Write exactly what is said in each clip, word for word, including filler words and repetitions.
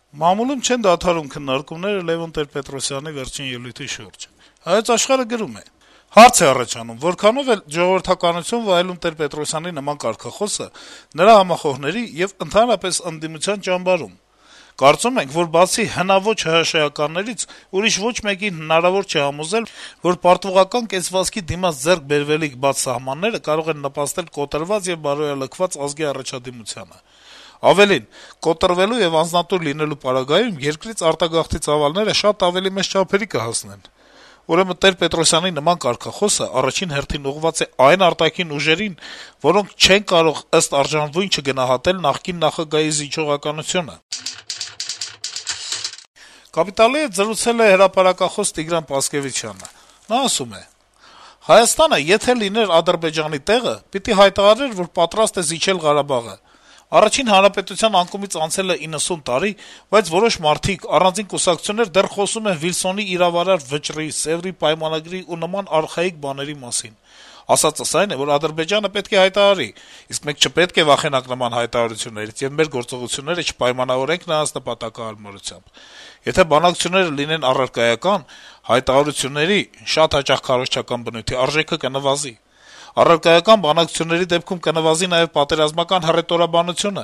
Մամուլում չեն դադարում քննարկումները Լեւոն Տեր-Պետրոսյանի վերջին ելույթի շուրջ։ «Հայոց Աշխարհ»-ը գրում է. - «Հարց է առաջանում, որքանո՞վ է ժողովրդականություն վայելում Տեր-Պետրոսյանի նման կարգախոսը նրա համախոհների եւ ընդհանրապես ընդդիմության ճամբարում։ Կարծում ենք, որ բացի հնաոճ ՀՀՇ-ականներից ուրիշ ոչ մեկին հնարավոր չէ համոզել, որ պարտվողական կեցվածքի դիմաց ձեռք բերվելիք բաց սահմանները կարող են նպաստել կոտրված եւ բարոյալքված ազգի առաջադիմությանը։ Ավելին, կոտրվելու եւ անձնատուր լինելու պարագայում երկրից արտագաղթի ծավալները շատ ավելի մեծ չափերի կհասնեն։ Ուրեմն Տեր-Պետրոսյանի նման կարգախոսը առաջին հերթին ուղղված է այն արտաքին ուժերին, որոնք չեն կարող ըստ արժանվույն չգնահատել նախկին նախագահի զիջողականությունը»։ «Կապիտալ»-ի հետ զրուցել է հրապարակախոս Տիգրան Պասկեւիչյանը։ Նա ասում է. - «Հայաստանը, եթե լիներ Ադրբեջանի տեղը, պիտի հայտարարեր, որ պատրաստ է զիջել Ղարաբաղը։ Առաջին հանրապետության անկումից անցել է իննսուն տարի, բայց որոշ մարդիկ, առանձին կուսակցություններ դեռ խոսում են Վիլսոնի իրավարար վճռի, Սեւրի պայմանագրի ու նման արխայիկ բաների մասին։ Ասածս այն է, որ Ադրբեջանը պետք է հայտարարի, իսկ մենք չպետք է վախենանք նման հայտարարություններից եւ մեր գործողությունները չպայմանավորենք նրանց նպատակահարմարությամբ։ Եթե բանակցությունները լինեն առարկայական, հայտարարությունների, շատ հաճախ քարոզչական բնույթի, արժեքը կնվազի։ Առարկայական բանակցությունների դեպքում կնվազի նաեւ պատերազմական հռետորաբանությունը։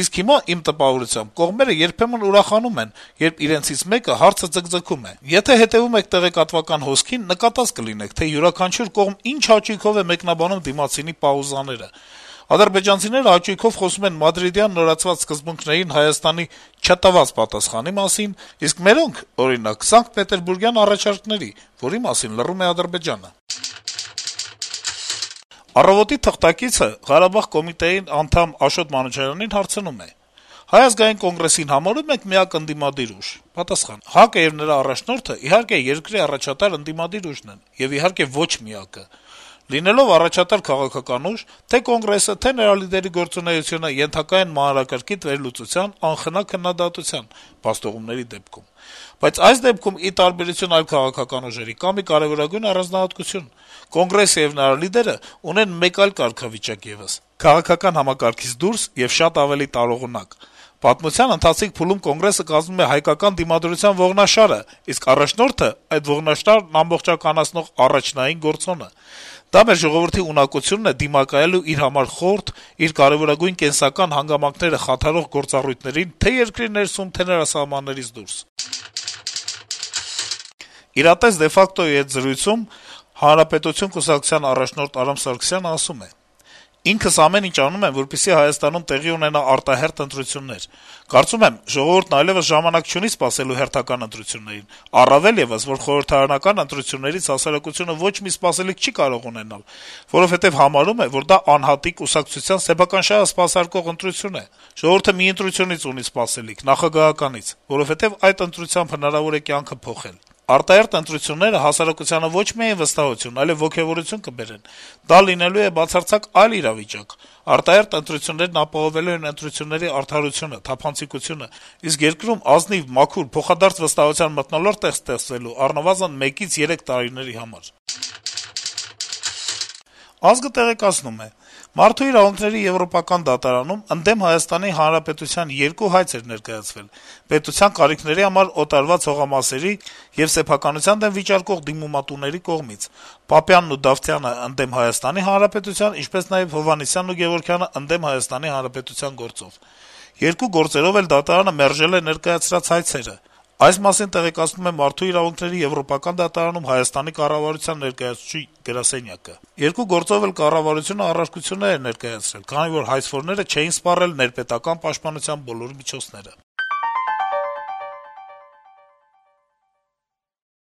Իսկ հիմա, իմ տպավորությամբ, կողմերը երբեմն ուրախանում են, երբ իրենցից մեկը հարցը ձգձգում է։ Եթե հետեւում եք տեղեկատվական հոսքին, նկատած կլինեք, թե յուրաքանչյուր կողմ ինչ հաճույքով է մեկնաբանում դիմացինի պաուզաները։ Ադրբեջանցիները հաճույքով խոսում են մադրիդյան նորացված սկզբունքներին Հայաստանի չտված պատասխանի մասին, իսկ մերոնք, օրինակ, Սանկտ Պետերբուրգյան առաջարկների, որի մասին լռում է Ադրբեջանը»։ «Առավոտ»-ի թղթակիցը Ղարաբաղ կոմիտեի անդամ Աշոտ Մանուչարյանին հարցնում է. - «Հայ ազգային կոնգրեսին համարո՞ւմ եք միակ ընդդիմադիր ուժ»։ Պատասխան. - «ՀԱԿ-ը եւ նրա առաջնորդը, իհարկե, երկրի առաջատար ընդդիմադիր ուժն են, եւ իհարկե ոչ միակը։ Լինելով առաջատար քաղաքական ուժ, թե Կոնգրեսը, թե նրա լիդերի գործունեությունը ենթակա են մանրակրկիտ վերլուծության, անխնա քննադատության փաստուղումների դեպքում։ Բայց այս դեպքում, ի տարբերություն այլ քաղաքական ուժերի, կա մի կարեւորագույն առանձնահատկություն. Կոնգրեսը եւ նրա լիդերը ունեն մեկ այլ կարգավիճակ եւս՝ քաղաքական համակարգից դուրս եւ շատ ավելի տարողունակ։ Պատմության ընթացիկ փուլում Կոնգրեսը կազմում է հայկական դիմադրության ողնաշարը, իսկ առաջնորդը այդ ողնաշարն ամբողջականացնող առաջնային գործոնը։ Դա մեր ժողովրդի ունակությունն է դիմակայելու իր համար խորթ, իր կարեւորագույն կենսական հանգամանքները խաթարող գործառույթներին թե' երկրի ներսում, թե' նրա սահմաններից դուրս»։ «Իրատես de facto»-ի հետ զրույցում Հանրապետություն կուսակցության առաջնորդ Արամ Սարգսյանը ասում է. - «Ինքս ամեն ինչ անում եմ, որպեսզի Հայաստանում տեղի ունենա արտահերթ ընտրություններ։ Կարծում եմ, ժողովուրդն այլեւս ժամանակ չունի սպասելու հերթական ընտրություններին, առավել եւս, որ խորհրդարանական ընտրություններից հասարակությունը ոչ մի սպասելիք չի կարող ունենալ, որովհետեւ համարում է, որ դա անհատի, կուսակցության սեփական շահը սպասարկող ընտրություն է։ Ժողովուրդը մի ընտրությունից ունի սպասելիք՝ նախագահականից, որովհետեւ այդ ընտրությամբ հնարավոր է կյանքը փոխել։ Արտահերթ ընտրությունները հասարակությանը ոչ միայն վստահություն, այլեւ ոգեւորություն կբերեն։ Դա լինելու է բացարձակ այլ իրավիճակ։ Արտահերթ ընտրություններն ապահովելու են ընտրությունների արդարությունը, թափանցիկությունը, իսկ երկրում ազնիվ, մաքուր, փոխադարձ վստահության մթնոլորտ է ստեղծվելու առնվազն մեկից երեք տարիների համար»։ «Ազգ»-ը տեղեկացնում է. - «Մարդու իրավունքների եվրոպական դատարանում ընդդեմ Հայաստանի Հանրապետության երկու հայց էր ներկայացվել՝ պետության կարիքների համար օտարված հողամասերի եւ սեփականության դեմ վիճարկող դիմումատուների կողմից՝ Պապյանն ու Դավթյանը ընդդեմ Հայաստանի Հանրապետության, ինչպես նաեւ Հովհաննիսյանն ու Գեւորգյանը ընդդեմ Հայաստանի Հանրապետության գործով։ Երկու գործերով էլ դատարանը մերժել է ներկայացրած հայցերը։ Այս մասին տեղեկացնում է Մարդու իրավունքների եվրոպական դատարանում Հայաստանի կառավարության ներկայացուցիչ գրասենյակը։ Երկու գործով էլ կառավարությունը առարկություններ էր ներկայացրել, քանի որ հայցվորները չէին սպառել ներպետական պաշտպանության բոլոր միջոցները»։